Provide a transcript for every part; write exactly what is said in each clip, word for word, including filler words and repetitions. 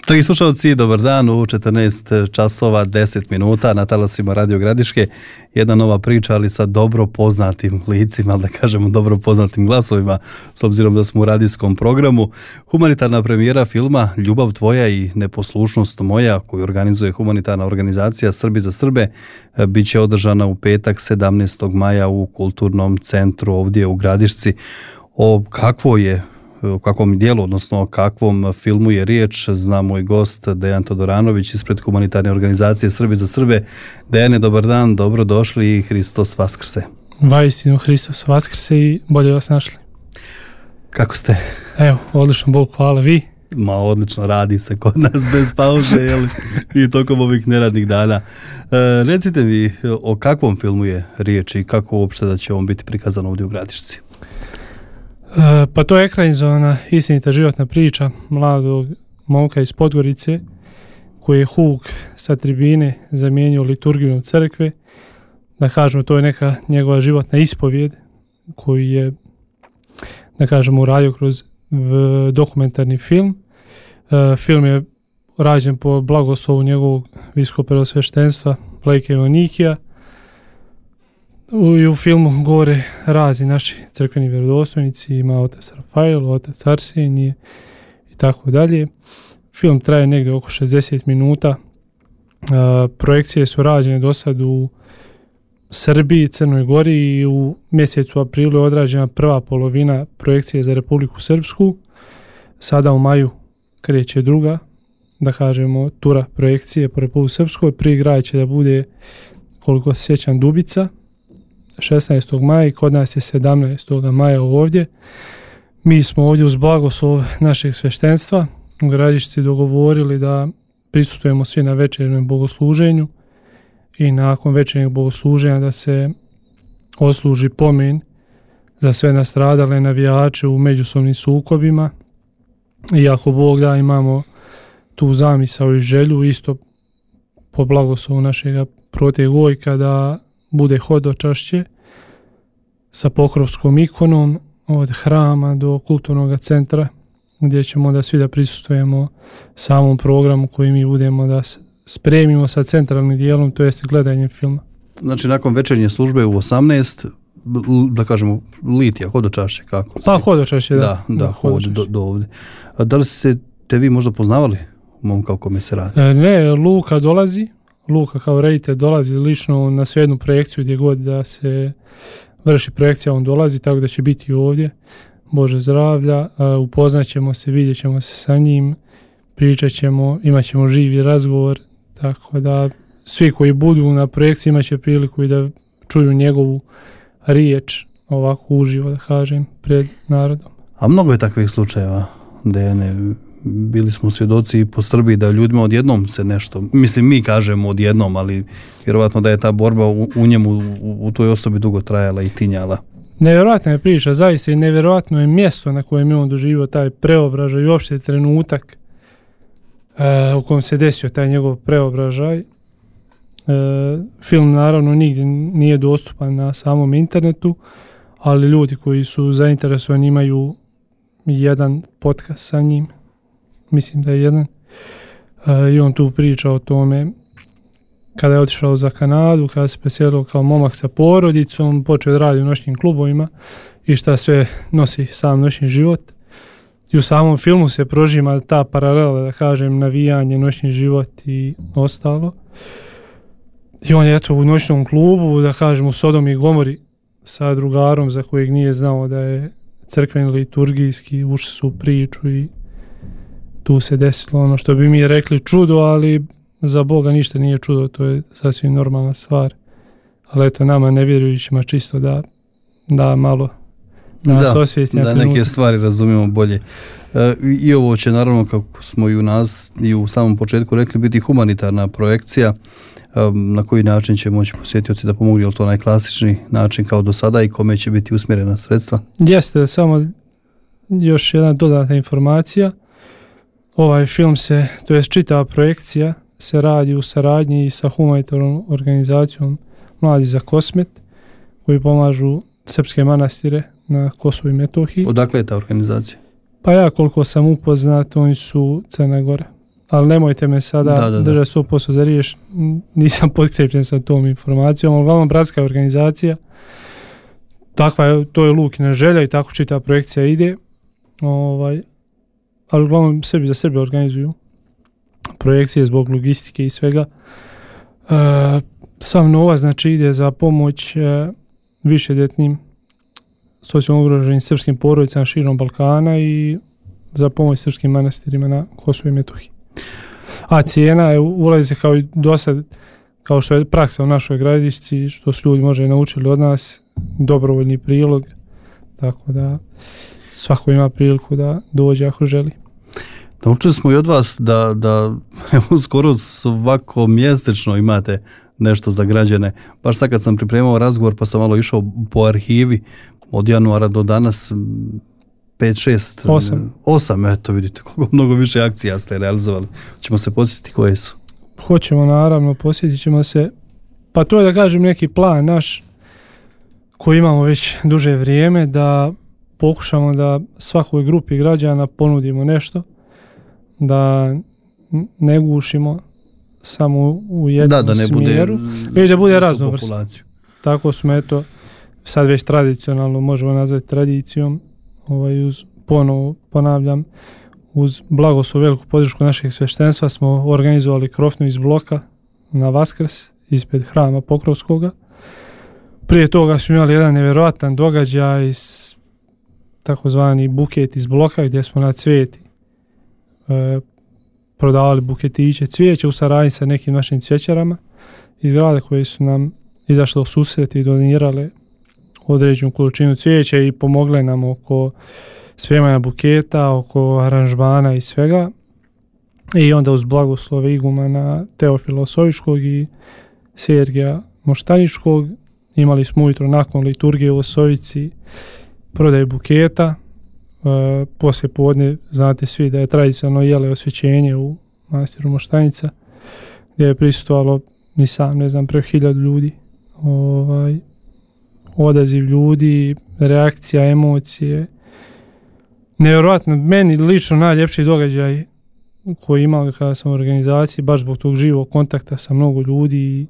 Dragi slušalci, dobar dan, u četrnaest časova deset minuta na talasima Radio Gradiške. Jedna nova priča, ali sa dobro poznatim licima, da kažemo dobro poznatim glasovima, s obzirom da smo u radijskom programu. Humanitarna premijera filma Ljubav tvoja i neposlušnost moja, koju organizuje humanitarna organizacija Srbi za Srbe, bit će održana u petak sedamnaestog maja u Kulturnom centru ovdje u Gradišci. O kakvo je o kakvom dijelu, odnosno o kakvom filmu je riječ, zna moj gost Dejan Todoranović ispred humanitarne organizacije Srbi za Srbe. Dejane, dobar dan, dobro došli i Hristos Vaskrse. Vaistinu Hristos Vaskrse i bolje vas našli. Kako ste? Evo, odlično, Bog hvala, vi? Ma, odlično, radi se kod nas bez pauze, jel? I tokom ovih neradnih dana. E, recite mi, o kakvom filmu je riječ i kako uopšte da će on biti prikazan ovdje u Gradišci? E, pa to je ekranizovana istinita životna priča mladog momka iz Podgorice koji je huk sa tribine zamijenio liturgijom crkve. Da kažemo, to je neka njegova životna ispovijed koju je, da kažemo, uradio kroz v, dokumentarni film. E, film je rađen po blagoslovu njegovog viskopreosveštenstva Vladike Joanikija. I u filmu govore razni naši crkveni vjerodostojnici, ima otac Rafael, otac Arsenije i tako dalje. Film traje negdje oko šezdeset minuta. E, projekcije su rađene do sad u Srbiji, Crnoj Gori i u mjesecu aprilu je odrađena prva polovina projekcije za Republiku Srpsku. Sada u maju kreće druga, da kažemo, tura projekcije po Republiku Srpskoj. Prvi grad će da bude, koliko se sjećam, Dubica, šesnaestog maja i kod nas je sedamnaestog maja ovdje. Mi smo ovdje uz blagoslov našeg sveštenstva u Gradišci dogovorili da prisustujemo svi na večernjem bogosluženju i nakon večernjeg bogosluženja da se odsluži pomen za sve nastradale navijače u međusobnim sukobima. I ako Bog da, imamo tu zamisao i želju isto po blagoslovu našeg prote Gojka da bude hodočašće sa pokrovskom ikonom od hrama do kulturnog centra gdje ćemo da svi da prisustujemo samom programu koji mi budemo da spremimo sa centralnim dijelom, to jest gledanjem filma. Znači, nakon večernje službe u osamnaest, da kažemo, litija, hodočašće, kako? Pa hodočašće, da. Da, da, hod do, do ovdje. A da li ste te vi možda poznavali momka o kome se radi? Ne, Luka dolazi, Luka kao reditelj dolazi lično na svejednu projekciju gdje god da se vrši projekcija, on dolazi, tako da će biti ovdje. Bože zdravlja, upoznat ćemo se, vidjet ćemo se sa njim, pričat ćemo, imat ćemo živi razgovor, tako da svi koji budu na projekciji imat će priliku i da čuju njegovu riječ ovako uživo, da kažem, pred narodom. A mnogo je takvih slučajeva, Dejane. Bili smo svjedoci po Srbiji da ljudima odjednom se nešto, mislim mi kažemo odjednom, ali vjerovatno da je ta borba u, u njemu, u, u toj osobi dugo trajala i tinjala. Nevjerojatna je priča, zaista i nevjerojatno je mjesto na kojem je on doživio taj preobražaj i uopšte trenutak e, u kojem se desio taj njegov preobražaj. E, film naravno nigdje nije dostupan na samom internetu, ali ljudi koji su zainteresovani imaju jedan podcast sa njim. Mislim da je jedan, e, i on tu priča o tome kada je otišao za Kanadu, kada se preselio kao momak sa porodicom, počeo da radi u noćnim klubovima i šta sve nosi sam noćni život. I u samom filmu se prožima ta paralela, da kažem, navijanje, noćni život i ostalo. I on je eto u noćnom klubu, da kažem, u Sodomi i Gomori sa drugarom za kojeg nije znao da je crkveni liturgijski, ušli su u priču i tu se desilo ono što bi mi rekli čudo, ali za Boga ništa nije čudo, to je sasvim normalna stvar. Ali eto, nama nevjerujućima čisto da, da malo da nas osvijesti na da trenutak. Neke stvari razumijemo bolje. E, I ovo će naravno, kako smo i u nas i u samom početku rekli, biti humanitarna projekcija. E, na koji način će moći posjetioci da pomogu, je li to najklasični način kao do sada i kome će biti usmjerena sredstva? Jeste, samo još jedna dodatna informacija. Ovaj film se, to je čitava projekcija, se radi u saradnji sa humanitarnom organizacijom Mladi za Kosmet, koji pomažu srpske manastire na Kosovu i Metohiji. Odakle je ta organizacija? Pa ja koliko sam upoznat, oni su Crna Gora. ali nemojte me sada da, da, da. držati sto posto za riješ, nisam potkrijepljen sa tom informacijom, ali uglavnom bratska organizacija, takva je, to je Lukina želja i tako čita projekcija ide, ovaj, ali uglavnom Srbi za Srbe organizuju projekcije zbog logistike i svega. E, sam novac znači ide za pomoć e, višedjetnim socijalno ugroženim srpskim porodicama širom Balkana i za pomoć srpskim manastirima na Kosovu i Metohiji. A cijena je ulazi kao i do sad, kao što je praksa u našoj Gradišci, što su ljudi možda i naučili od nas, dobrovoljni prilog, tako da svako ima priliku da dođe ako želi. Naučili smo i od vas da, da evo, skoro svako mjesečno imate nešto za građane. Baš sad kad sam pripremao razgovor pa sam malo išao po arhivi od januara do danas pet, šest, osam. osam, eto vidite koliko mnogo više akcija ste realizovali. Ćemo se podsjetiti koje su. Hoćemo naravno, posjetit ćemo se. Pa to je da kažem neki plan naš koji imamo već duže vrijeme da pokušamo da svakoj grupi građana ponudimo nešto, da ne gušimo samo u jednom da, da ne smjeru, bude, već da bude raznovrsno. Tako smo eto sad već tradicionalno možemo nazvati tradicijom, ovaj, uz, ponovo ponavljam, uz blagoslov veliku podršku našeg sveštenstva smo organizovali krofnu iz bloka na Vaskrs ispred hrama Pokrovskoga. Prije toga smo imali jedan nevjerojatan događaj iz takozvani buket iz bloka gdje smo na Cvijeti e, prodavali buketiće cvijeća u saradnji sa nekim našim cvjećarama iz grada koji su nam izašli u susret i donirale određenu količinu cvijeća i pomogle nam oko spremanja buketa, oko aranžmana i svega. I onda uz blagoslove igumana Teofila Osovičkog i Sergija Moštaničkog imali smo ujutro nakon liturgije u Osovici prodaju buketa. E, poslije podne znate svi da je tradicionalno jele osvećenje u manastiru Moštanica gdje je prisustvovalo ni sam ne znam preko hiljadu ljudi. Ovaj, odaziv ljudi, reakcija, emocije. Nevjerojatno, meni lično najljepši događaj koji imam kada sam u organizaciji, baš zbog tog živog kontakta sa mnogo ljudi,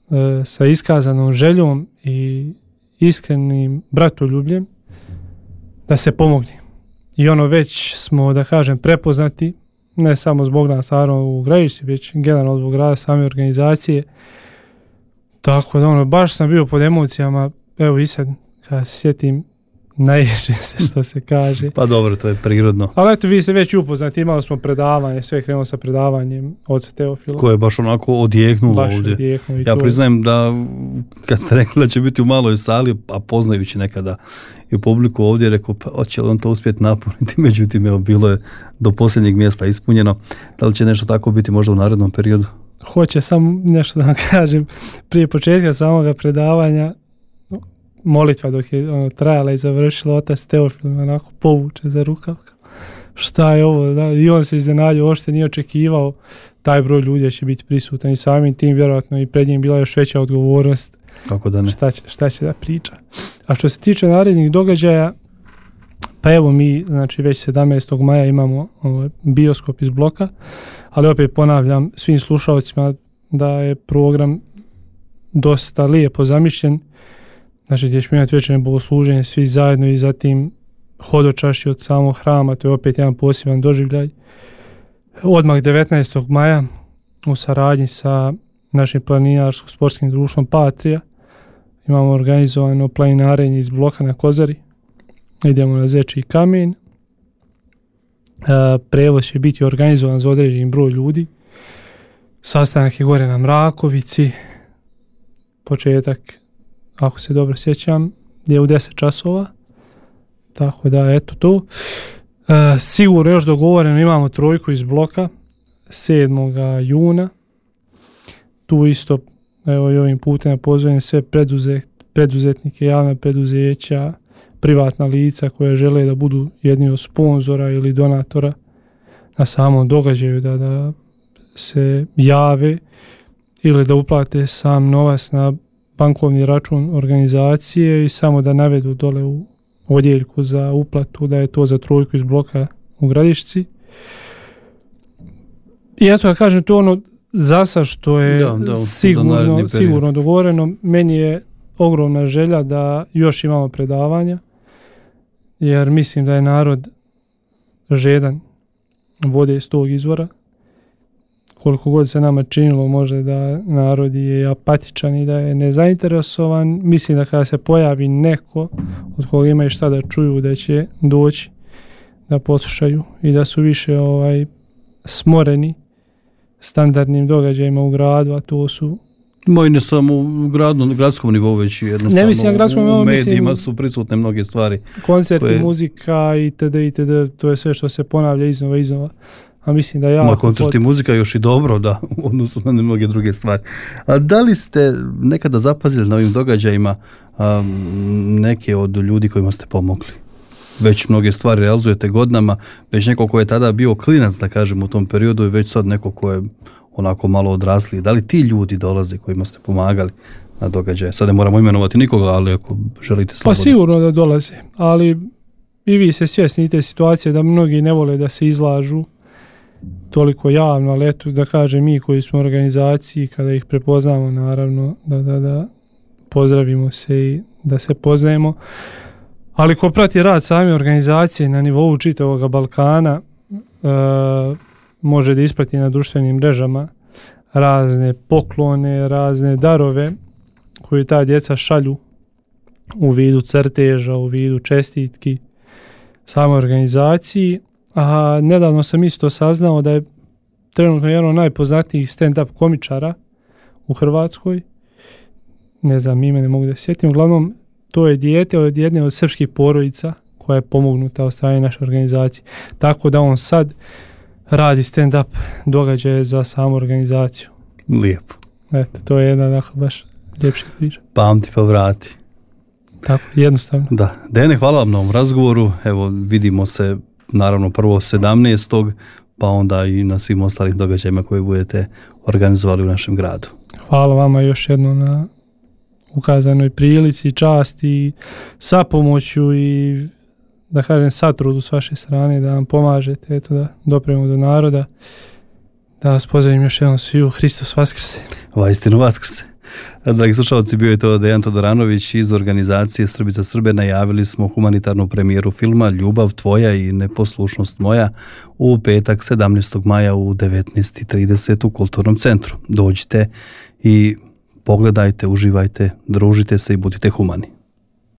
e, sa iskazanom željom i iskrenim bratoljubljem da se pomogne. I ono već smo, da kažem, prepoznati, ne samo zbog nas stvarno u Gradišci, već generalno zbog rada same organizacije. Tako da ono, baš sam bio pod emocijama, evo i sad, kada se sjetim, naježim se što se kaže. Pa dobro, to je prirodno. Ali eto, vi ste već upoznati, imali smo predavanje, sve krenuo sa predavanjem oca Teofila. Koje je baš onako odjeknulo baš ovdje. Odjeknulo ja to. priznajem da kad ste rekli da će biti u maloj sali, a poznajući nekada i publiku ovdje, rekao, pa hoće li on to uspjeti napuniti, međutim, evo, bilo je do posljednjeg mjesta ispunjeno. Da li će nešto tako biti možda u narednom periodu? Hoće, samo nešto da vam kažem, prije početka samoga predavanja, molitva dok je ono, trajala i završila, otac Teofil me onako povuče za rukav. Šta je ovo? Da? I on se iznenadio, uopšte nije očekivao taj broj ljudi će biti prisutan i samim tim vjerojatno i pred njim bila još veća odgovornost. Kako da ne? Šta će, šta će da priča. A što se tiče narednih događaja, pa evo mi, znači već sedamnaestog maja imamo ovaj, bioskop iz bloka, ali opet ponavljam svim slušalcima da je program dosta lijepo zamišljen. Znači gdje ćemo imati večernje bogosluženje svi zajedno i zatim hodočašće od samog hrama, to je opet jedan poseban doživljaj. Odmah devetnaestog maja u saradnji sa našim planinarsko-sportskim društvom Patrija imamo organizovano planinarenje iz bloka na Kozari. Idemo na Zečji kamen. E, prevoz će biti organizovan za određen broj ljudi. Sastanak je gore na Mrakovici. Početak, ako se dobro sjećam, je u deset časova. Tako da, eto to. E, sigurno još dogovoreno imamo trojku iz bloka sedmog juna. Tu isto, evo i ovim putem pozovem sve preduzet, preduzetnike, javna preduzeća, privatna lica koje žele da budu jedni od sponzora ili donatora na samom događaju, da, da se jave ili da uplate sam novac na bankovni račun organizacije i samo da navedu dole u odjeljku za uplatu da je to za trojku iz bloka u Gradišci. I ja to kažem, to ono zasa što je da, da, sigurno, sigurno dogovoreno. Meni je ogromna želja da još imamo predavanja, jer mislim da je narod žedan vode iz tog izvora. Koliko god se nama činilo može da narod je apatičan i da je nezainteresovan, mislim da kada se pojavi neko od koga imaju šta da čuju, da će doći da poslušaju i da su više ovaj smoreni standardnim događajima u gradu, a to su Moj ne samo u gradu, na gradskom nivou, već jednostavno ne mislim na gradskom nivou, u medijima mislim, su prisutne mnoge stvari. Koncerti, koje... muzika itd. itd. To je sve što se ponavlja iznova iznova. A mislim da ja... Ma koncerti, pot... muzika još i dobro, da, u odnosu na mnoge druge stvari. A da li ste nekada zapazili na ovim događajima a, neke od ljudi kojima ste pomogli? Već mnoge stvari realizujete godinama, već neko ko je tada bio klinac, da kažem, u tom periodu i već sad neko ko je onako malo odrasli. Da li ti ljudi dolaze kojima ste pomagali na događaje? Sad ne moramo imenovati nikoga, ali ako želite slobodno. Pa sigurno da dolaze, ali i vi ste svjesni te situacije da mnogi ne vole da se izlažu toliko javno, ali eto da kažem mi koji smo u organizaciji, kada ih prepoznamo naravno da, da, da pozdravimo se i da se poznajemo. Ali ko prati rad same organizacije na nivou čitavog Balkana, e, može da isprati na društvenim mrežama razne poklone, razne darove koje ta djeca šalju u vidu crteža, u vidu čestitki samoj organizaciji. A nedavno sam isto saznao da je trenutno jedan od najpoznatijih stand-up komičara u Hrvatskoj. Ne znam, ime ne mogu da sjetim. Uglavnom, to je dijete od jedne od srpskih porodica koja je pomognuta od strane naše organizacije. Tako da on sad radi stand-up događaje za samu organizaciju. Lijepo. Eto, to je jedna dakle, baš ljepša priča. Pamti pa vrati. Tako, jednostavno. Da. Dejane, hvala vam na ovom razgovoru. Evo, vidimo se naravno prvo sedamnaestog pa onda i na svim ostalim događajima koje budete organizovali u našem gradu. Hvala vama još jednom na ukazanoj prilici, časti, sa pomoću i da kažem satrudu s vaše strane da vam pomažete, eto da dopremo do naroda. Da vas pozdravim još jednom sviju. Hristos Vaskrse. Vaistinu Vaskrse. Dragi slušalci, bio je to Dejan Todoranović iz organizacije Srbi za Srbe. Najavili smo humanitarnu premijeru filma Ljubav tvoja i neposlušnost moja u petak sedamnaestog maja u devetnaest i trideset u Kulturnom centru. Dođite i pogledajte, uživajte, družite se i budite humani.